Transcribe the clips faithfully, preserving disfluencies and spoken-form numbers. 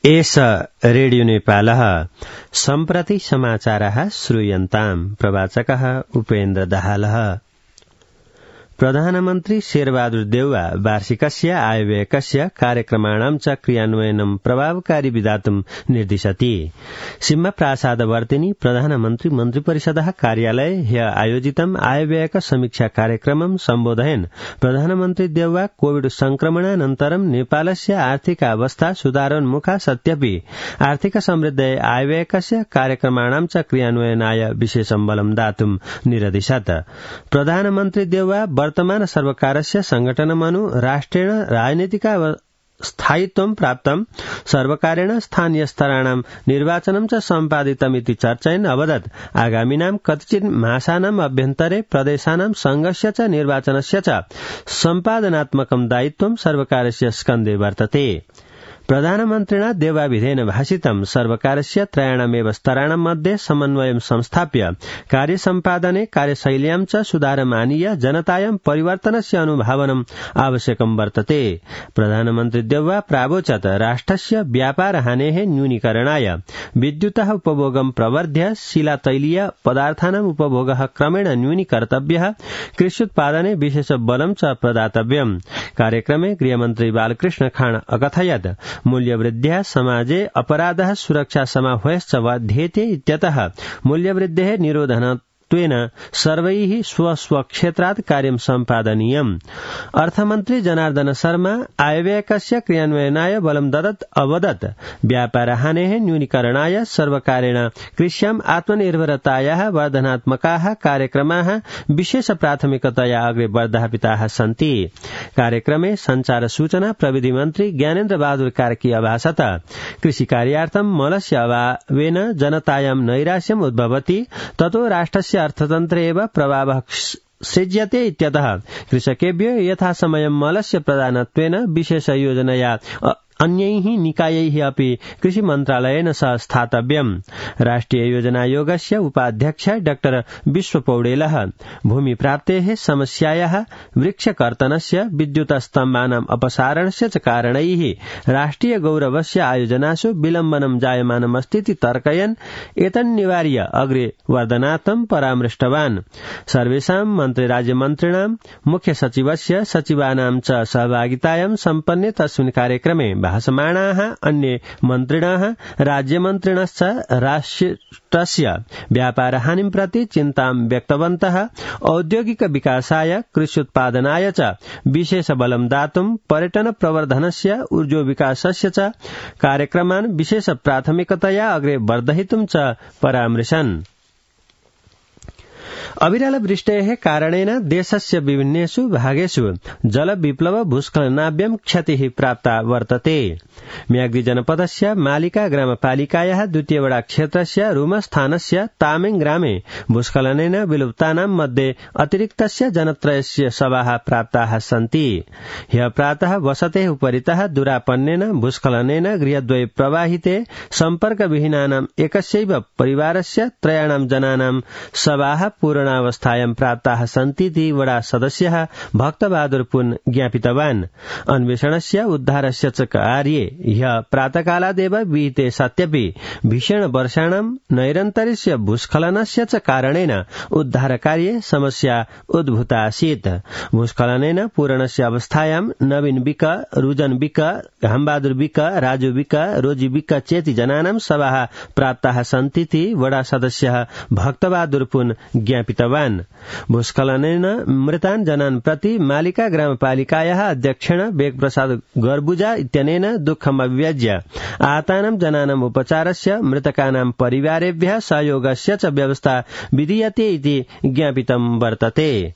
एष रेडियो नेपालः सम्प्रति समाचारः श्रूयन्ताम्। प्रवाचकः उपेन्द्र दाहालः। प्रधानमन्त्री शेरबहादुर देउवा वार्षिकस्य आयव्ययकस्य कार्यक्रमाणां च क्रियान्वयनं प्रभावकारी विधातुं निर्दिशति। सिंह प्रासादवर्तिनी प्रधानमन्त्री मन्त्रिपरिषदः कार्यालये ह्य आयोजितं आयव्ययक समीक्षा कार्यक्रमं सम्बोधयन् प्रधानमन्त्री देउवा कोविड संक्रमणानन्तरं नेपालस्य आर्थिक अवस्था सुधारोन्मुखा सत्यपि आर्थिक समृद्धये आयव्ययकस्य कार्यक्रमाणां च क्रियान्वयनाय विशेषं बलं दातुं निरदिशत्। प्रधानमन्त्री देउवा वर्तमान सर्वकारस्य संगठनमनु राष्ट्रेण राजनीतिक स्थायित्वं प्राप्तं सर्वकारेण स्थानीय स्तराणां निर्वाचनं च सम्पादितमिति चर्चयन् अवदत् आगामिनां कतिचित् मासानाम् अभ्यन्तरे प्रदेशानां संघस्य च निर्वाचनस्य च सम्पादनात्मकं दायित्वं सर्वकारस्य स्कन्धे वर्तते। प्रधानमन्त्रिणा देवाविधेन भाषितं सर्वकारस्य त्रयाणामेव स्तराणां मध्ये समन्वयं संस्थाप्य कार्यसम्पादने कार्यशैल्यां च सुधारम् आनीय जनतायां परिवर्तनस्य अनुभावनम् आवश्यकं वर्तते। प्रधानमन्त्री देउवा प्रावोचत् राष्ट्रस्य व्यापार हानेः न्यूनीकरणाय विद्युतः उपभोगं प्रवर्ध्य शिलातैलीय पदार्थानाम् उपभोगः क्रमेण न्यूनीकर्तव्यः, कृष्युत्पादने विशेष बलं च प्रदातव्यम्। कार्यक्रमे गृहमन्त्री बालकृष्ण खाँड अकथयत् मूल्यवृद्ध्या समाजे अपराधः सुरक्षा समाह्वयश्च वर्ध्येते इत्यतः मूल्यवृद्धेः निरोधनत्वेन सर्वैः स्वस्वक्षेत्रात् कार्यं सम्पादनीयम्। अर्थमन्त्री जनार्दन शर्मा आयव्ययकस्य क्रियान्वयनाय बलं ददत् अवदत् व्यापारहानेः न्यूनीकरणाय सर्वकारेण कृष्याम् आत्मनिर्भरतायाः वर्धनात्मकाः कार्यक्रमाः विशेष प्राथमिकतया अग्रे वर्धापिताः सन्ति। कार्यक्रमे संचार सूचना प्रविधि मन्त्री ज्ञानेन्द्र बहादुर कार्की अभाषत कृषि कार्यार्थं मलस्य अभावेन जनतायां नैराश्यम् उद्भवति, ततो राष्ट्रस्य अर्थतन्त्रे एव प्रभावः सृज्यते इत्यतः कृषकेभ्यो यथासमयं मलस्य प्रदानत्वेन विशेष योजनया अन्यैः निकायैः अपि कृषि मन्त्रालयेन सह स्थातव्यम्। राष्ट्रिय योजनायोगस्य उपाध्यक्ष डाक्टर विश्व पौडेलः भूमि प्राप्तेः समस्यायाः वृक्षकर्तनस्य विद्युत स्तम्भानाम् अपसारणस्य च कारणैः राष्ट्रिय गौरवस्य आयोजनासु विलम्बनं जायमानमस्तीति तर्कयन् एतन्निवार्य अग्रे वर्धनार्थं परामृष्टवान्। सर्वेषां मन्त्री राज्यमन्त्रिणां मुख्य सचिवस्य सचिवानां च सहभागितायां सम्पन्ने तस्मिन् कार्यक्रमे भाषमाणाः अन्ये मन्त्रिणः राज्यमन्त्रिणश्च राष्ट्रस्य व्यापारहानिं प्रति चिन्तां व्यक्तवन्तः। औद्योगिक विकासाय कृष्युत्पादनाय च विशेष बलं दातुं पर्यटन प्रवर्धनस्य ऊर्जो विकासस्य च कार्यक्रमान् विशेष प्राथमिकतया अग्रे वर्धयितुं च परामृशन्। अविरल वृष्टेः कारणेन देशस्य विभिन्नेषु भागेषु जलविप्लव भूस्खलनाभ्यं क्षतिः प्राप्ता वर्तते। म्याग्दी जनपदस्य मालिका ग्रामपालिकायाः द्वितीय वडा क्षेत्रस्य रुमस्थानस्य तामेङ ग्रामे भूस्खलनेन विलुप्तानां मध्ये अतिरिक्तस्य जनत्रयस्य शवाः प्राप्ताः सन्ति। ह्यः प्रातः वसतेः उपरितः दुरापन्नेन भूस्खलनेन गृहद्वये प्रवाहिते सम्पर्कविहीनानाम् एकस्यैव परिवारस्य त्रयाणां जनानां शवाः पूर्णावस्थायां प्राप्ताः सन्तीति वडा सदस्यः भक्तबहादुर पुन ज्ञापितवान्। अन्वेषणस्य उद्धारस्य च कार्ये ह्यः प्रातःकालादेव विहिते सत्यपि भीषण वर्षाणां नैरन्तर्यस्य भूस्खलनस्य च कारणेन उद्धारकार्ये समस्या उद्भूता आसीत्। भूस्खलनेन पूर्णस्य अवस्थायां नवीन विक, रुजन विक, घामबहादुर विक, राजु विक, रोजी विक चेति जनानां शवाः प्राप्ताः सन्तीति वडा सदस्यः भक्तबहादुर पुन ज्ञापितवान्। भूस्खलनेन मृतान् जनान् प्रति मालिका ग्रामपालिकायाः अध्यक्षेण वेगप्रसाद गर्बुजा इत्यनेन दुःखम् अभिव्यज्य आहतानां जनानाम् उपचारस्य मृतकानां परिवारेभ्यः सहयोगस्य च व्यवस्था विधीयते इति ज्ञापितं वर्तते।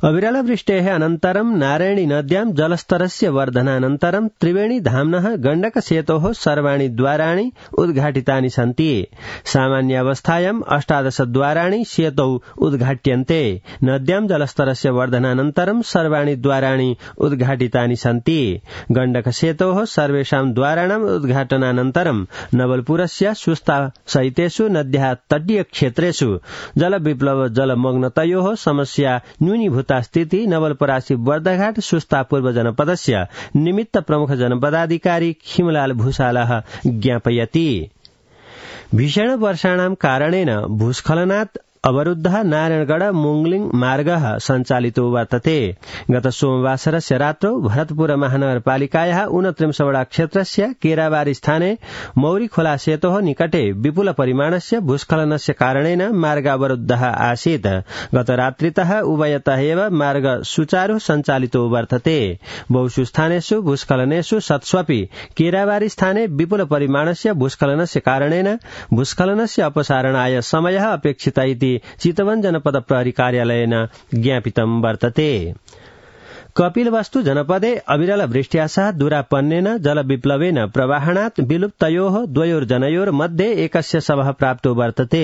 अविरल वृष्टेः अनन्तरं नारायणी नद्यां जलस्तरस्य वर्धनानन्तरं त्रिवेणी धाम्नः गण्डक सेतोः सर्वाणि द्वाराणि उद्घाटितानि सन्ति। सामान्यावस्थायाम् अष्टादश द्वाराणि सेतौ उद्घाट्यन्ते। नद्यां जलस्तरस्य वर्धनानन्तरं सर्वाणि द्वाराणि उद्घाटितानि सन्ति। गण्डक सेतोः सर्वेषां द्वाराणाम् उद्घाटनानन्तरं नवलपुरस्य सुस्ता सहितेषु नद्याः तटीय क्षेत्रेषु जलविप्लव जलमग्नतयोः समस्या न्यूनी न्यूनीभूता स्थिति नवलपरासी बर्दघाट सुस्ता पूर्व जनपदस्य निमित्त प्रमुख जनपदाधिकारी खिमलाल भूषालः ज्ञापयति। भीषण वर्षाणां कारणेन भूस्खलनात् अवरुद्धः नारायणगढ़ मोंगलिंग मार्गः सञ्चालितो वर्तते। गत सोमवासरस्य रात्रौ भरतपुर महानगरपालिकायाः ऊनत्रिंशवड़ा क्षेत्रस्य केराबारी स्थाने मौरीखोला सेतोः निकटे विपुल परिमाणस्य भूस्खलनस्य कारणेन मार्गावरुद्धः आसीत्। गत रात्रितः उभयतः एव मार्ग सुचारू सञ्चालितो वर्तते। बहुषु स्थानेषु भूस्खलनेषु सत्स्वपि केराबारी स्थाने विपुल परिमाणस्य भूस्खलनस्य कारणेन भूस्खलनस्य अपसारणाय समयः अपेक्षितः इति चितवन जनपद प्रहरी कार्यालयेन ज्ञापितं वर्तते। कपिलवस्तु जनपदे अविरल वृष्ट्या सह दूरापन्नेन जलविप्लवेन प्रवाहणात् विलुप्तयोः द्वयोर्जनयोर् मध्ये एकस्य शवः प्राप्तो वर्तते।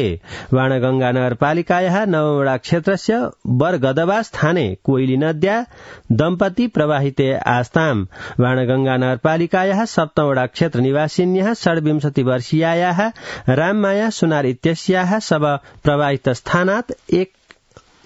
वाणगंगा नगरपालिकायाः नवमवड़ा क्षेत्रस्य बरगदवा स्थाने कोइली नद्या दम्पति प्रवाहिते आस्ताम्। वाणगंगा नगरपालिकायाः सप्तमवड़ा क्षेत्र निवासिन्यः षड्विंशति वर्षीयायाः राममाया सुनार इत्यस्याः शव प्रवाहित स्थानात् एक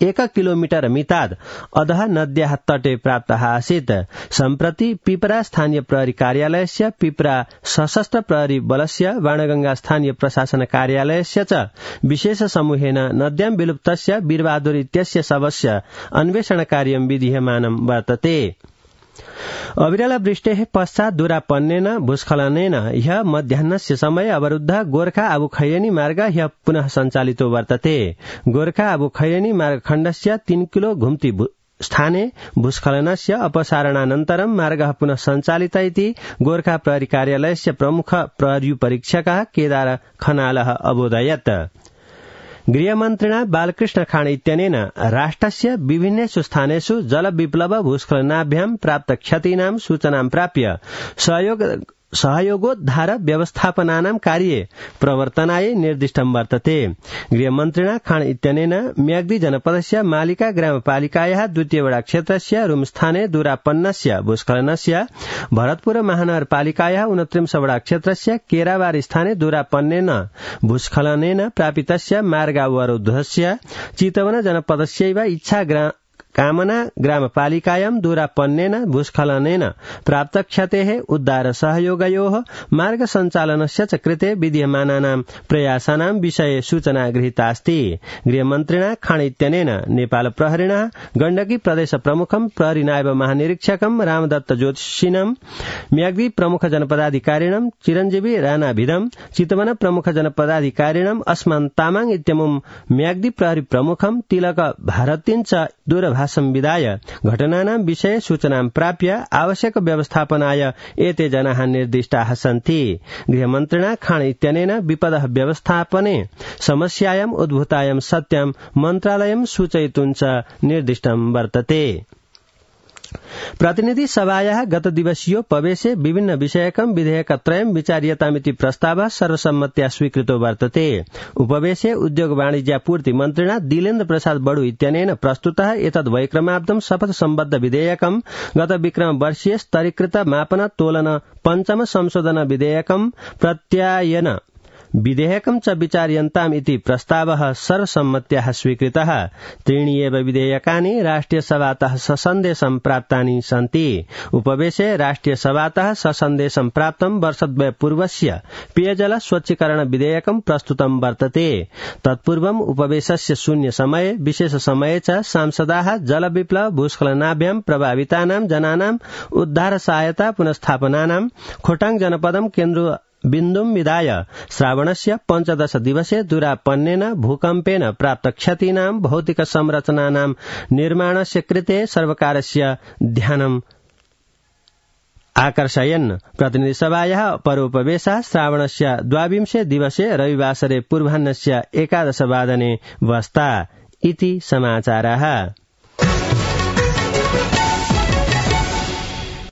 एक किलोमीटर मिताद अधः नद्याः तटे प्राप्तः आसीत्। सम्प्रति पिपरा स्थानीय प्रहरी कार्यालयस्य पिपरा सशस्त्र प्रहरी बलस्य वाणगंगा स्थानीय प्रशासन कार्यालयस्य च विशेष समूहेन नद्यां विलुप्तस्य वीरबहादुर इत्यस्य शवस्य अन्वेषण कार्यं विधीयमानं वर्तते। अविरल वृष्टेः पश्चात् दूरापन्नेन भूस्खलनेन ह्यः मध्याह्नस्य समये अवरुद्ध गोर्खा आबुखैरेनी मार्ग ह्यः पुनः सञ्चालितो वर्तते। गोर्खा आबुखैरेनी मार्गखण्डस्य तीन किलो घुम्ति स्थाने भूस्खलनस्य अपसारणानन्तरं मार्गः पुनः सञ्चालित इति गोर्खा प्रहरी कार्यालयस्य प्रमुख प्रहरी परीक्षकः केदार खनालः अबोधयत्। गृहमन्त्रिणा बालकृष्ण खाँड इत्यनेन राष्ट्रस्य विभिन्नेषु स्थानेषु जलविप्लव भूस्खलनाभ्यां प्राप्त क्षतीनां सूचनां प्राप्य सहयोग सहयोगोद्धार व्यवस्थापनानां कार्ये प्रवर्तनाय निर्दिष्टं वर्तते। गृहमन्त्रिणा खाँड इत्यनेन म्याग्दी जनपदस्य मालिका ग्रामपालिकायाः द्वितीयवड़ा क्षेत्रस्य रुमस्थाने दूरापन्नस्य भूस्खलनस्य भरतपुर महानगरपालिकायाः ऊनत्रिंशवड़ा क्षेत्रस्य केराबारी स्थाने दूरापन्नेन भूस्खलनेन प्रापितस्य मार्गावरोधस्य चितवन जनपदस्यैव इच्छा कामना ग्रामपालिकायां दूरापन्नेन भूस्खलनेन प्राप्त क्षतेः उद्धार सहयोगयोः मार्ग सञ्चालनस्य च कृते विधीयमानानां प्रयासानां विषये सूचना गृहीतास्ति। गृहमन्त्रिणा खाँड इत्यनेन नेपाल प्रहरिणः गण्डकी प्रदेश प्रमुखं प्रहरी नायब महानिरीक्षकं रामदत्त ज्योतिषिनं म्याग्दी प्रमुख जनपदाधिकारिणं चिरञ्जीवी राणाभिधं चितवन प्रमुख जनपदाधिकारिणं अस्मान तामाङ इत्यमुं म्याग्दी प्रहरी प्रमुखं तिलक भारतीं च दूरभाष संविधाय घटनानां विषये सूचनां प्राप्य आवश्यक व्यवस्थापनाय एते जनाः निर्दिष्टाः सन्ति। गृहमन्त्रिणा खाँड इत्यनेन विपदः व्यवस्थापने समस्यायाम् उद्भूतायां सत्यां मन्त्रालयं सूचयितुं च निर्दिष्टं वर्तते। प्रतिनिधि सभायाः गत दिवसीयोपवेशे विभिन्न विषयकं विधेयकत्रयं विचार्यतामिति प्रस्तावः सर्वसम्मत्या स्वीकृतो वर्तते। उपवेशे उद्योग वाणिज्यापूर्ति मन्त्रिणा दिलेन्द्र प्रसाद बडु इत्यनेन प्रस्तुतः एतद् वैक्रमाब्दं शपथ सम्बद्ध विधेयकं गत विक्रम वर्षीय स्तरीकृत मापन तोलन पञ्चम संशोधन विधेयकं प्रत्यायन विधेयकं च विचार्यन्ताम् इति प्रस्तावः सर्वसम्मत्याः स्वीकृतः। त्रीणि एव विधेयकानि राष्ट्रियसभातः ससन्देशं प्राप्तानि सन्ति। उपवेशे राष्ट्रियसभातः ससन्देशं प्राप्तं वर्षद्वय पूर्वस्य पेयजल स्वच्छीकरण विधेयकं प्रस्तुतं वर्तते। तत्पूर्वम् उपवेशस्य शून्य समये विशेष समये च सांसदाः जलविप्लव भूस्खलनाभ्यां प्रभावितानां जनानां उद्धार सहायता पुनस्थापनानां खोटाङ जनपदं केन्द्र बिन्दुं विधाय श्रावणस्य पञ्चदश दिवसे दूरापन्नेन भूकम्पेन प्राप्त क्षतीनां भौतिक संरचनानां निर्माणस्य कृते सर्वकारस्य ध्यानम् आकर्षयन्। प्रतिनिधिसभायाः परोपवेशः श्रावणस्य द्वाविंशे दिवसे रविवासरे पूर्वाह्नस्य एकादश वादने वस्ता इति समाचारः।